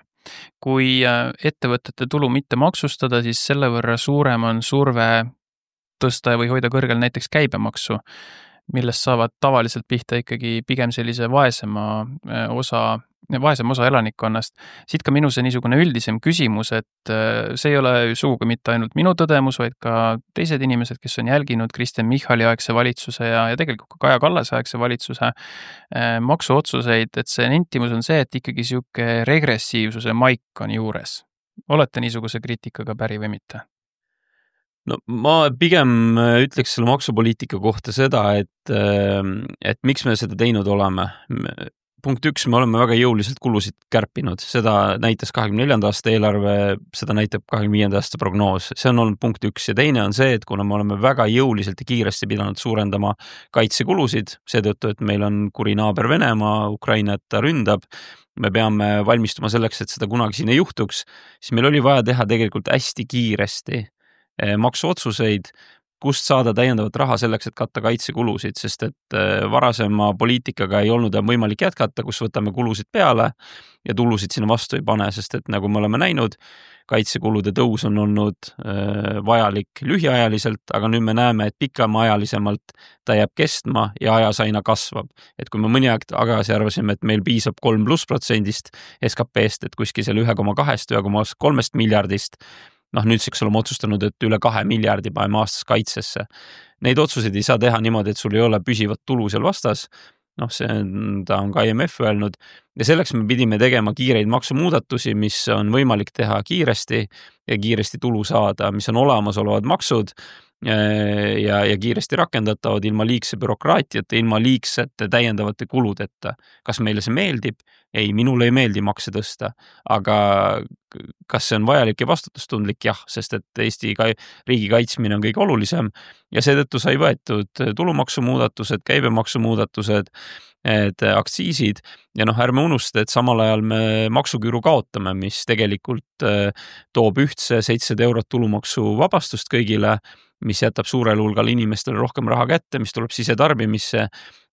Kui ettevõtete tulu mitte maksustada, siis selle võrra suurem on surve tõsta või hoida kõrgel näiteks käibemaksu, millest saavad tavaliselt pihta ikkagi pigem sellise vaesema osa, vaesem osa elanikkonnast. Siit ka minu see niisugune üldisem küsimus, et see ei ole sugugi mitte ainult minu tõdemus, vaid ka teised inimesed, kes on jälginud Kristen Michali aegse valitsuse ja, ja tegelikult ka Kaja Kallase aegse valitsuse maksuotsuseid, et see nentimus on see, et ikkagi siuke regressiivsuse maik on juures. Olete niisuguse kriitikaga päri või mitte? No ma pigem ütleks selle maksupoliitika kohta seda, et, et miks me seda teinud oleme. Punkt üks, me oleme väga jõuliselt kulusid kärpinud. Seda näitas kahekümne neljanda aasta eelarve, seda näitab kahekümne viienda aasta prognoos. See on olnud punkt üks ja teine on see, et kuna me oleme väga jõuliselt ja kiiresti pidanud suurendama kaitsekulusid, seetõttu, et meil on kuri naaber Venemaa, Ukrainat ta ründab, me peame valmistuma selleks, et seda kunagi siin ei juhtuks, siis meil oli vaja teha tegelikult hästi kiiresti maksuotsuseid, kust saada täiendavat raha selleks, et katta kaitsekulusid, sest et varasema poliitikaga ei olnud võimalik jätkata, kus võtame kulusid peale ja tulusid sinna vastu ei pane, sest et nagu me oleme näinud, kaitsekulude tõus on olnud vajalik lühiajaliselt, aga nüüd me näeme, et pikemaajalisemalt ta jääb kestma ja ajas aina kasvab. Et kui me mõni aeg tagasi arvasime, et meil piisab kolm pluss protsendist S K P-st, et kuskil selle üks koma kaks, üks koma kolm miljardist, noh nüüdseks oleme otsustanud, et üle kahe miljardi paneme aastas kaitsesse. Neid otsuseid ei saa teha niimoodi, et sul ei ole püsivat tulu seal vastas. Noh, see ta on ka I M F öelnud ja selleks me pidime tegema kiireid maksumuudatusi, mis on võimalik teha kiiresti ja kiiresti tulu saada, mis on olemasolevad maksud ja, ja kiiresti rakendatavad ilma liigse bürokraatiate, ilma liigsete täiendavate kuludeta. Kas meile see meeldib? Ei, minule ei meeldi makse tõsta, aga kas see on vajalik ja vastutustundlik? Jah, sest et Eesti riigi kaitsmine on kõige olulisem ja seetõttu sai võetud tulumaksumuudatused, käibemaksumuudatused, et aktsiisid ja noh, ärme unusta, et samal ajal me maksuküüru kaotame, mis tegelikult toob ühtse seitsesada eurot tulumaksu vabastust kõigile, mis jätab suurel hulgal inimestele rohkem raha kätte, mis tuleb sisetarbimisse,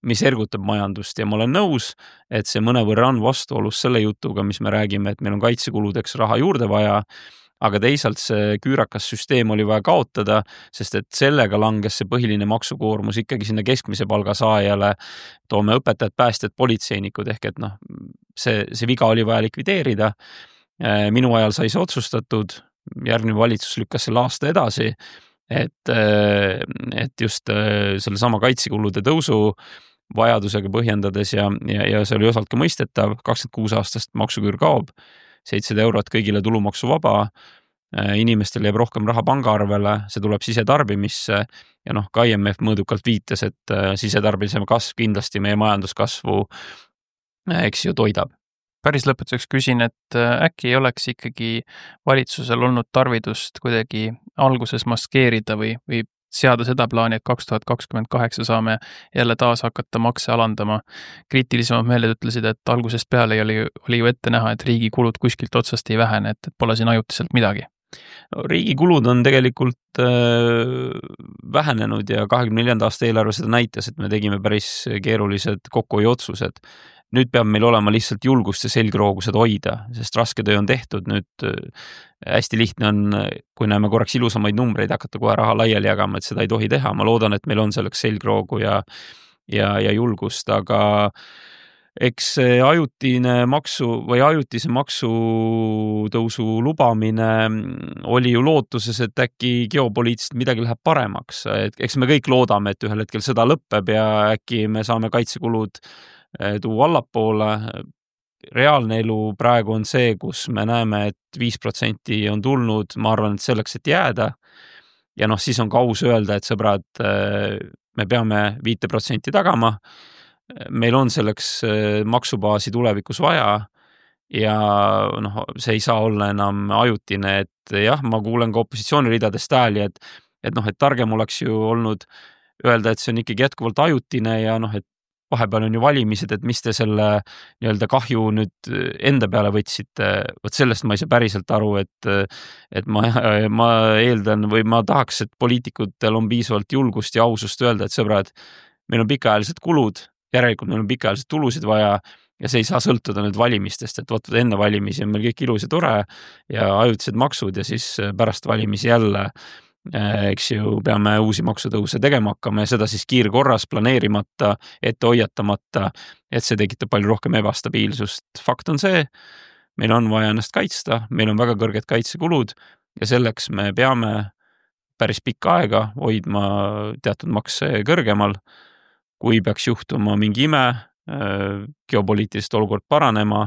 mis ergutab majandust ja ma olen nõus, et see mõnevõrra on vastuolus selle jutuga, mis me räägime, et meil on kaitsekuludeks raha juurde vaja, aga teisalt see küürakas süsteem oli vaja kaotada, sest et sellega langes see põhiline maksukoormus ikkagi sinna keskmise palga saajale, toome õpetajad, päästjad, politseinikud ehk et noh, see, see viga oli vaja likvideerida. Minu ajal sai see otsustatud, järgmine valitsus lükkas selle aasta edasi, et, et just selle sama kaitsekulude tõusu vajadusega põhjendades ja, ja, ja see oli osalt ka mõistetav, kakskümmend kuus aastast maksuküür kaob, seitsesada eurot kõigile tulumaksu vaba, inimestel jääb rohkem raha pangaarvele, see tuleb sisetarbimisse ja noh, ka I M F mõõdukalt viitas, et sisetarbimise kasv kindlasti meie majanduskasvu eks ju toidab. päris lõpetuseks küsin, et äkki ei oleks ikkagi valitsusel olnud tarvidust kuidagi alguses maskeerida või, või seada seda plaani, et kaks tuhat kakskümmend kaheksa saame jälle taas hakata makse alandama. Kriitilisemad meeled ütlesid, et algusest peale oli, oli ju ette näha, et riigi kulud kuskilt otsast ei vähene, et, et pole siin ajutiselt midagi. No, riigi kulud on tegelikult äh, vähenenud ja kahekümne neljanda aasta eelarve seda näitas, et me tegime päris keerulised kokkuhoiuotsused. Nüüd peab meil olema lihtsalt julgust ja selgroogused hoida, sest raske töö on tehtud. Nüüd hästi lihtne on, kui näeme korraks ilusamaid numbreid, hakata kohe raha laiali jagama, et seda ei tohi teha. Ma loodan, et meil on selleks selgroogu ja, ja, ja julgust, aga eks ajutine maksu või ajutise maksutõusu lubamine oli ju lootuses, et äkki geopoliitiliselt midagi läheb paremaks. Et eks me kõik loodame, et ühel hetkel sõda lõpeb ja äkki me saame kaitsekulud tuua allapoole. Reaalne elu praegu on see, kus me näeme, et viis protsenti on tulnud, ma arvan, et selleks, et jääda. Ja noh, siis on ka aus öelda, et sõbrad, me peame viite protsenti tagama. Meil on selleks maksubaasi tulevikus vaja ja noh, see ei saa olla enam ajutine, et jah, ma kuulen ka opositsiooni ridadest hääli, et, et noh, et targem oleks ju olnud öelda, et see on ikkagi jätkuvalt ajutine ja noh, et vahepeal on ju valimised, et mis te selle nii-öelda kahju nüüd enda peale võtsite. Võt sellest ma ei saa päriselt aru, et, et ma, ma eeldan või ma tahaks, et poliitikutel on piisavalt julgust ja ausust öelda, et sõbrad, meil on pikaajalised kulud, järelikult meil on pikaajalised tulusid vaja ja see ei saa sõltuda nüüd valimistest, et võtavad enne valimisi on meil kõik ilus ja tore ja ajutised maksud ja siis pärast valimisi jälle eks ju peame uusi maksutõuse tegema hakkama ja seda siis kiirkorras planeerimata, ette hoiatamata, et see tekitab palju rohkem ebastabiilsust. Fakt on see, meil on vaja ennast kaitsta, meil on väga kõrged kaitsekulud ja selleks me peame päris pikka aega hoidma teatud makse kõrgemal. Kui peaks juhtuma mingi ime, geopoliitilist olukord paranema,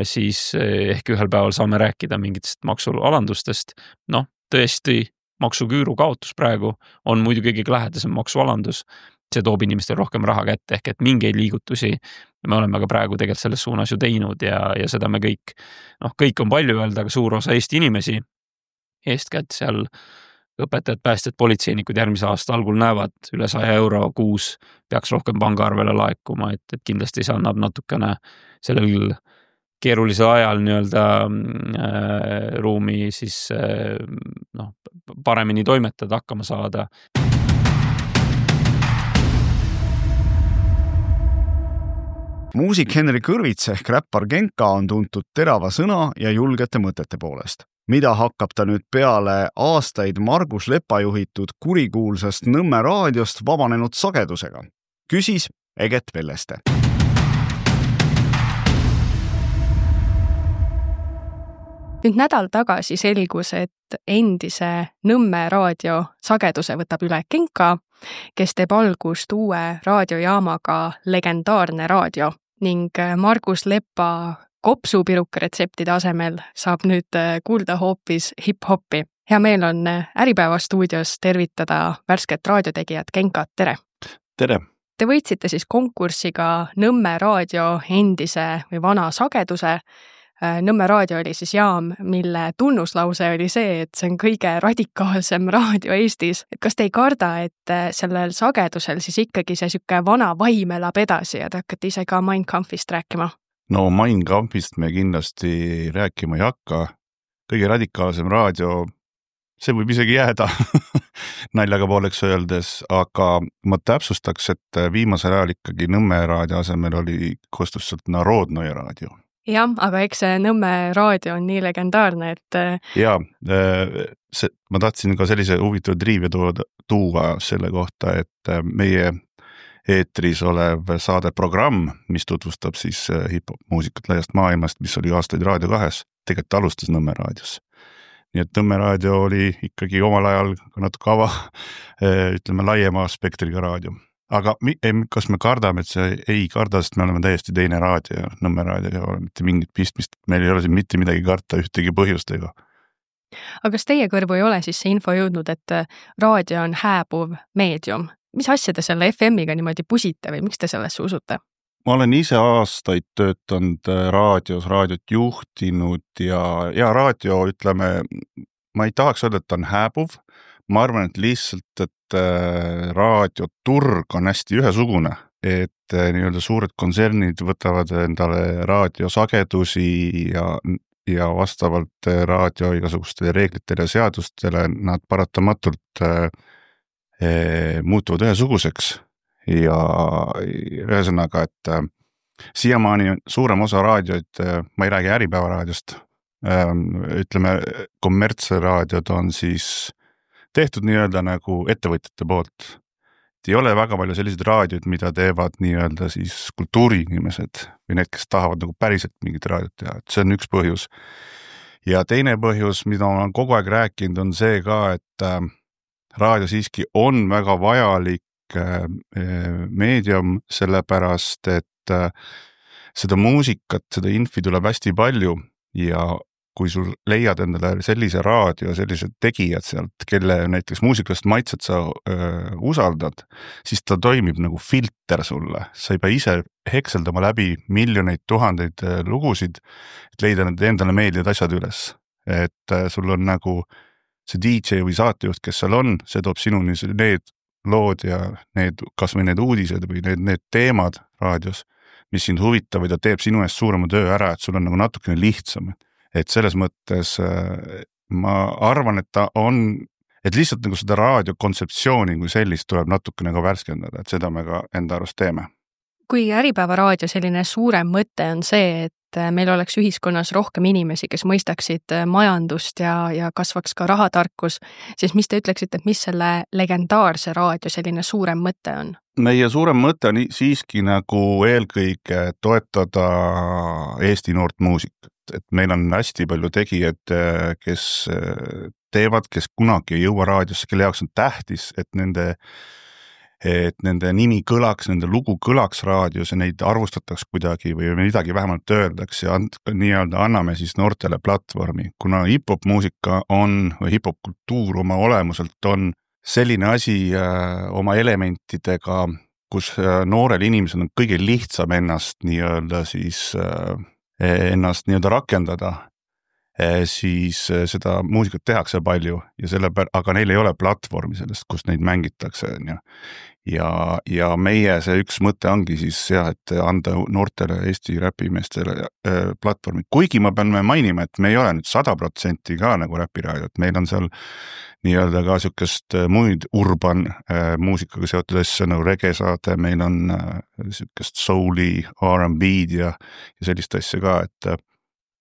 siis ehk ühel päeval saame rääkida mingitest maksualandustest. Noh, tõesti, maksuküüru kaotus praegu on muidu kõige lähedasem maksualandus. See toob inimestel rohkem raha kätte, ehk et mingeid liigutusi me oleme ka praegu tegelikult selles suunas ju teinud ja, ja seda me kõik, noh, kõik on palju öelda, aga suur osa Eesti inimesi, eestkätt seal õpetajad, päästjad, politseinikud järgmise aasta algul näevad üle saja euro kuus peaks rohkem pangaarvele laekuma, et, et kindlasti see annab natukene sellel keerulisel ajal nii-öelda äh, ruumi siis äh, noh, paremini toimetada, hakkama saada. Muusik Henri Kõrvits ehk räppar Genka on tuntud terava sõna ja julgete mõtete poolest. Mida hakkab ta nüüd peale aastaid Margus Lepa juhitud kurikuulsast Nõmme raadiost vabanenud sagedusega? Küsis Eget Velleste. Nüüd nädal tagasi selgus, et endise Nõmme raadio sageduse võtab üle Genka, kes teeb algust uue raadiojaamaga Legendaarne raadio ning Margus Lepa kopsupiruka retseptide asemel saab nüüd kuulda hoopis hip-hopi. Hea meel on Äripäeva stuudios tervitada värsket raadiotegijat Genkat, tere! Tere! Te võitsite siis konkursiga Nõmme raadio endise või vana sageduse. Nõmme raadio oli siis jaam, mille tunnuslause oli see, et see on kõige radikaalsem raadio Eestis. Et kas te ei karda, et sellel sagedusel siis ikkagi see süke vana vaim elab edasi ja te hakkate ise ka Mein Kampfist rääkima? No Mein Kampfist me kindlasti rääkima ei hakka. Kõige radikaalsem raadio, see võib isegi jääda naljaga pooleks öeldes, aga ma täpsustaks, et viimasel ajal ikkagi Nõmme raadio asemel oli kostusselt Narodnoje raadio. Jah, aga eks see Nõmme raadio on nii legendaarne, et... Jaa, see, ma tahtsin ka sellise huvitav triivia tuua selle kohta, et meie eetris olev saadeprogramm, mis tutvustab siis hip-hop muusikat laiast maailmast, mis oli aastaid Raadio kahes, tegelikult alustas Nõmme raadios. Nii et Nõmme raadio oli ikkagi omal ajal natuke ava, ütleme, laiema spektriga raadio. Aga kas me kardame, et see ei karda, sest me oleme täiesti teine raadio ja Nõmme raadio ei ole mitte mingit pistmist. Meil ei ole siin mitte midagi karta ühtegi põhjustega. Aga kas teie kõrvu ei ole siis see info jõudnud, et raadio on hääbuv meedium? Mis asja te selle F M-iga niimoodi pusite või miks te sellesse usute? ma olen ise aastaid töötanud raadios, raadiot juhtinud ja, ja raadio, ütleme, ma ei tahaks öelda, et ta on hääbuv. Ma arvan, et lihtsalt, et raadioturg on hästi ühesugune, et nii-öelda suured kontsernid võtavad endale raadiosagedusi ja, ja vastavalt raadio igasugustele reeglitele ja seadustele nad paratamatult äh, muutuvad ühesuguseks. Ja ühesõnaga, et äh, siiamaani suurem osa raadioid, äh, ma ei räägi Äripäeva raadiost, äh, ütleme, kommertsraadiod on siis tehtud nii-öelda nagu ettevõtjate poolt. Et ei ole väga palju selliseid raadioid, mida teevad nii-öelda siis kultuuriinimesed või need, kes tahavad nagu päriselt mingit raadiot teha. Et see on üks põhjus. Ja teine põhjus, mida ma olen kogu aeg rääkinud, on see ka, et äh, raadio siiski on väga vajalik meedium, sellepärast, et seda muusikat, seda infi tuleb hästi palju ja kui sul leiad endale sellise raadio, sellised tegijad sealt, kelle näiteks muusikalist maitset sa öö, usaldad, siis ta toimib nagu filter sulle. Sa ei pea ise hekseldama läbi miljoneid, tuhandeid lugusid, et leida need endale meeldivad asjad üles. Et sul on nagu see D J või saatejuht, kes seal on, see toob sinuni need lood ja need, kas või need uudised või need, need teemad raadios, mis sind huvitavad ja teeb sinu eest suurema töö ära, et sul on nagu natukene lihtsam. Et selles mõttes ma arvan, et ta on, et lihtsalt nagu seda raadiokontseptsiooni kui sellist tuleb natukene ka värskendada, et seda me ka enda arust teeme. Kui Äripäeva raadio selline suurem mõte on see, et meil oleks ühiskonnas rohkem inimesi, kes mõistaksid majandust ja, ja kasvaks ka rahatarkus, siis mis te ütleksite, et mis selle legendaarse raadio selline suurem mõte on? Meie suurem mõte on siiski nagu eelkõige toetada Eesti noort muusikat. Et meil on hästi palju tegijad, kes teevad, kes kunagi ei jõua raadiosse, kelle jaoks on tähtis, et nende et nende nimi kõlaks, nende lugu kõlaks raadios ja neid arvustataks kuidagi või midagi vähemalt öeldaks ja and, nii-öelda anname siis noortele platvormi. Kuna hip-hop muusika on, või hip-hop kultuur oma olemuselt on selline asi äh, oma elementidega, kus äh, noorel inimesel on kõige lihtsam ennast nii-öelda siis äh, ennast nii-öelda rakendada, äh, siis äh, seda muusikat tehakse palju ja selle pär-, aga neil ei ole platvormi sellest, kus neid mängitakse, on ju. Ja, ja meie see üks mõte ongi siis jah, et anda noortele Eesti räpimeestele äh, platvormi. Kuigi ma pean mainima, et me ei ole nüüd sada protsenti ka nagu räpiraadio, et meil on seal nii-öelda ka sükest muid urban äh, muusikaga seotud asja nagu regesaade, meil on äh, sükest souli, R and B-d ja, ja sellist asja ka, et äh,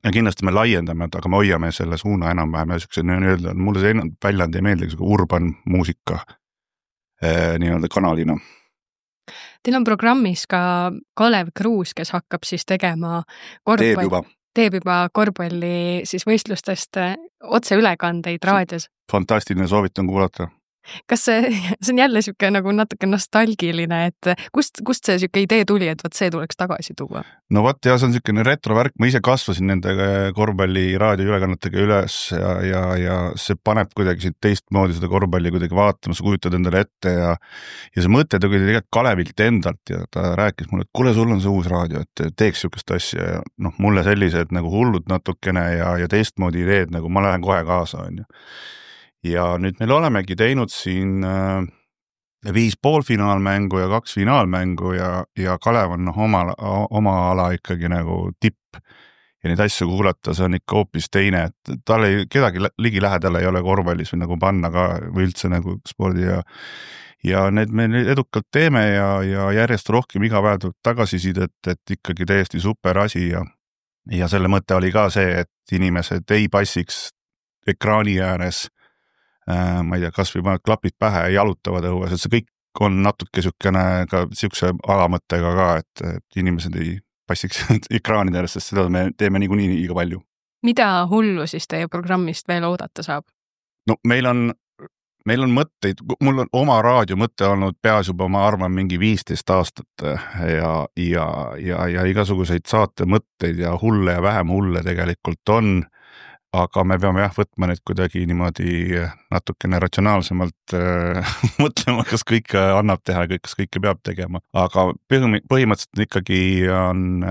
ja kindlasti me laiendame, aga me hoiame selle suuna enam-vähem ja sükse nii-öelda, mulle see väljand ei meeldi, urban muusika nii-öelda kanalina. Teil on programmis ka Kalev Kruus, kes hakkab siis tegema korvpall... teeb juba, teeb juba korvpalli siis võistlustest otseülekandeid raadios. Fantastiline, soovitan kuulata. Kas see, see on jälle siuke nagu natuke nostalgiline, et kust, kust see siuke idee tuli, et võt see tuleks tagasi tuua? No vaat ja see on siukene retrovärk, ma ise kasvasin nende korvpalli raadioülekannetega üles ja, ja, ja see paneb kuidagi siit teistmoodi seda korvpalli kuidagi vaatama, sa kujutad endale ette ja ja see mõte tuli tegelikult Kalevilt endalt ja ta rääkis mulle, et kuule, sul on see uus raadio, et teeks siukest asja ja noh, mulle sellised nagu hullud natukene ja, ja teistmoodi ideed, nagu ma lähen kohe kaasa, on ju. Ja nüüd meil olemegi teinud siin äh, viis poolfinaalmängu ja kaks finaalmängu ja, ja Kalev on oma, oma ala ikkagi nagu tipp ja neid asju kuulata, see on ikka hoopis teine, et tal ei, kedagi ligi lähedal ei ole korvpallis või nagu panna ka või üldse nagu spordi ja ja need me edukalt teeme ja, ja järjest rohkem iga päev tuleb tagasisidet, et ikkagi täiesti super asi ja, ja selle mõte oli ka see, et inimesed ei passiks ekraani ääres ma ei tea, kas või paned klapid pähe ja jalutavad õues, et see kõik on natuke sükene ka siukse alamõttega ka, et, et inimesed ei passiks ekraanide ääres, sest seda me teeme niikuinii liiga palju. Mida hullu siis teie programmist veel oodata saab? No meil on, meil on mõtteid, mul on oma raadio mõte olnud peas juba, ma arvan, mingi viisteist aastat ja, ja, ja, ja igasuguseid saate mõtteid ja hulle ja vähem hulle tegelikult on. aga me peame jah võtma need kuidagi niimoodi natukene ratsionaalsemalt äh, mõtlema, kas kõike annab teha ja kas kõike peab tegema. Aga põhimõtteliselt ikkagi on,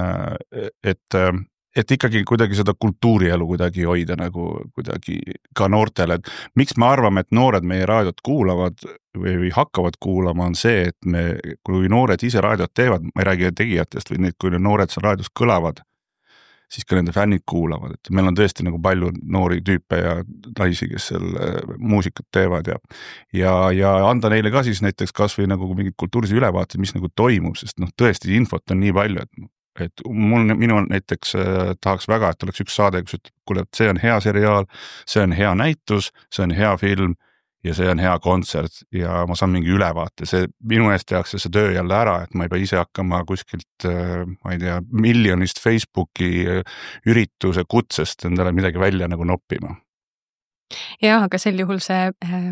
et et ikkagi kuidagi seda kultuurielu kuidagi hoida nagu kuidagi ka noortele, et miks me arvame, et noored meie raadiot kuulavad või, või hakkavad kuulama, on see, et me, kui noored ise raadiot teevad, ma ei räägi tegijatest, või need, kui noored seal raadios kõlavad, siis ka nende fännid kuulavad, et meil on tõesti nagu palju noori tüüpe ja naisi, kes seal muusikat teevad ja, ja, ja anda neile ka siis näiteks kas või nagu mingid kultuurilisi ülevaated, mis nagu toimub, sest noh, tõesti infot on nii palju, et et mul, minu näiteks äh, tahaks väga, et oleks üks saade, kus ütleb, kuule, et see on hea seriaal, see on hea näitus, see on hea film ja see on hea kontsert ja ma saan mingi ülevaate. See minu eest tehakse see töö jälle ära, et ma ei pea ise hakkama kuskilt, äh, ma ei tea, miljonist Facebooki ürituse kutsest endale midagi välja nagu noppima. Jah, aga sel juhul see äh,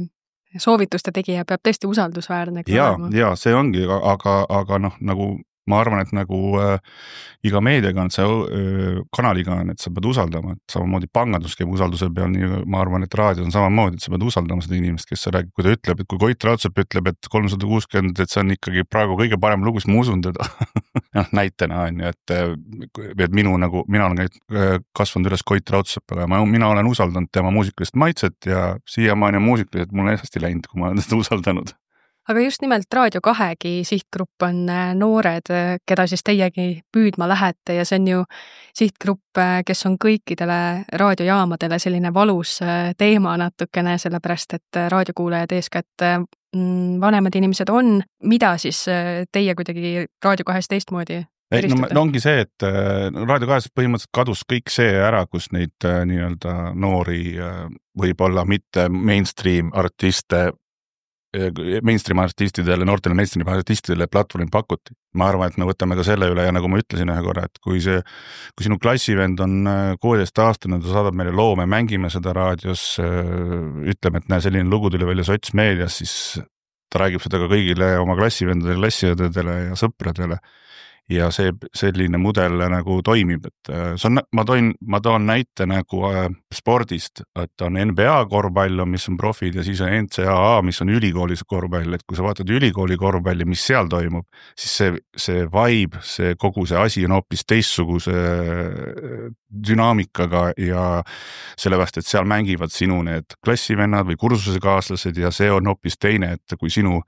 soovituste tegija peab tõesti usaldusväärne. Ja, ja see ongi, aga, aga noh, nagu ma arvan, et nagu äh, iga meediaga on see äh, kanaliga on, et sa pead usaldama, et samamoodi pangandus käib usalduse peal, nii ma arvan, et raadio on samamoodi, et sa pead usaldama seda inimest, kes sa räägib, kui ta ütleb, et kui Koit Raudsepp ütleb, et kolmsada kuuskümmend, et see on ikkagi praegu kõige parem lugu, siis ma usun teda. Näitena on ju, et, et minu nagu, mina olen kasvanud üles Koit Raudsepaga ja ma, mina olen usaldanud tema muusikalist maitset ja siiamaani on muusikalised mul on hästi läinud, kui ma olen seda usaldanud. Aga just nimelt Raadio kahegi sihtgrupp on noored, keda siis teiegi püüdma lähete ja see on ju sihtgrupp, kes on kõikidele raadiojaamadele selline valus teema natukene, sellepärast et raadiokuulajad eeskätt vanemad inimesed on. Mida siis teie kuidagi Raadio kahes teistmoodi ei, no, no ongi see, et Raadio kahes põhimõtteliselt kadus kõik see ära, kus neid nii-öelda noori võib-olla mitte mainstream artiste mainstream artistidele, noortele mainstream artistidele platvormi pakuti. Ma arvan, et me võtame ka selle üle ja nagu ma ütlesin ühe korra, et kui see, kui sinu klassivend on kuueteist aastane, ta saadab meile loo, me mängime seda raadios, ütleme, et näe, selline lugu tuli välja sotsmeedias, siis ta räägib seda ka kõigile oma klassivendadele, klassiõdedele ja sõpradele. Ja see selline mudel nagu toimib, et see on, ma toin, ma toon näite nagu spordist, et on N B A korvpall, mis on profid ja siis on N C A A, mis on ülikoolis korvpall, et kui sa vaatad ülikooli korvpalli, mis seal toimub, siis see, see vibe, see kogu see asi on hoopis teistsuguse dünaamikaga ja sellepärast, et seal mängivad sinu need klassivennad või kursusekaaslased ja see on hoopis teine, et kui sinu,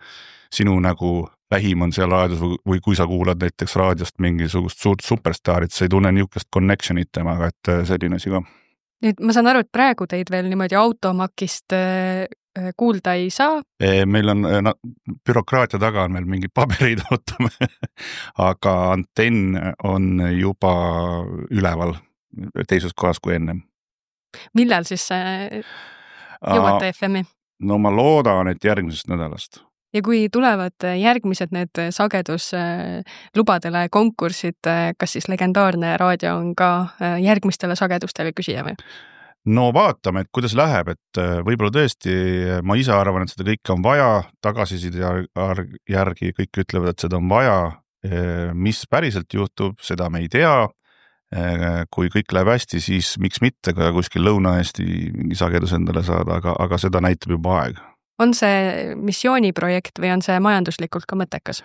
sinu nagu vähim on seal raadios või, või kui sa kuulad näiteks raadiost mingisugust suurt superstaarit, sa ei tunne niisugust connectionit temaga, et selline asi ka. Nüüd ma saan aru, et praegu teid veel niimoodi automakist kuulda ei saa? Meil on, no, bürokraatia taga on meil mingid paberid ootame, aga antenn on juba üleval teises kohas kui ennem. Millal siis jõuate F M-i? No ma loodan, et järgmisest nädalast. Ja kui tulevad järgmised need sageduslubadele konkursid, kas siis legendaarne raadio on ka järgmistele sagedustele küsija või? No vaatame, et kuidas läheb, et võib-olla tõesti ma ise arvan, et seda kõike on vaja, tagasiside järgi kõik ütlevad, et seda on vaja, mis päriselt juhtub, seda me ei tea. Kui kõik läheb hästi, siis miks mitte ka kuskil Lõuna-Eesti mingi sagedus endale saada, aga, aga seda näitab juba aeg. On see missiooniprojekt või on see majanduslikult ka mõttekas?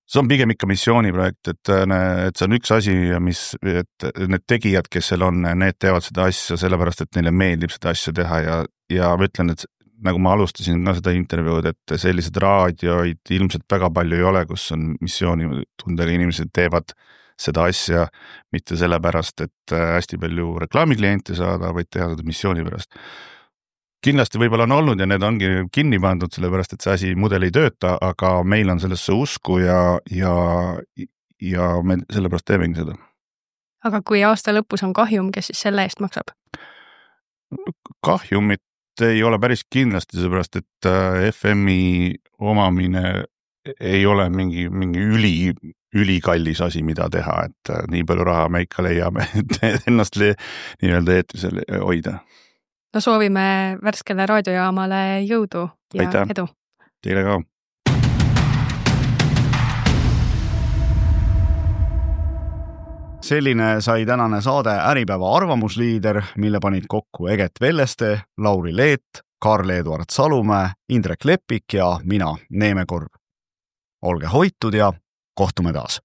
See on pigem ikka missiooniprojekt, et, et see on üks asi, mis, et need tegijad, kes seal on, need teevad seda asja sellepärast, et neile meeldib seda asja teha ja, ja ma ütlen, et nagu ma alustasin ka seda intervjuud, et sellised raadioid ilmselt väga palju ei ole, kus on missioonitundega inimesed teevad seda asja mitte sellepärast, et hästi palju reklaamikliente saada, vaid teha seda missiooni pärast. Kindlasti võib-olla on olnud ja need ongi kinni pandud, sellepärast, et see asi mudel ei tööta, aga meil on sellesse usku ja, ja, ja me sellepärast teemegi seda. Aga kui aasta lõpus on kahjum, kes siis selle eest maksab? Kahjumit ei ole päris kindlasti, sellepärast, et F M-i omamine ei ole mingi, mingi üli, ülikallis asi, mida teha, et nii palju raha me ikka leiame, et ennast nii-öelda eetrisel hoida. No soovime värskele raadiojaamale jõudu ja Aitäh. Edu. Teile ka. selline sai tänane saade Äripäeva arvamusliider, mille panid kokku Eget Velleste, Lauri Leet, Karl-Eduard Salumäe, Indrek Lepik ja mina, Neeme Korb. Olge hoitud ja kohtume taas!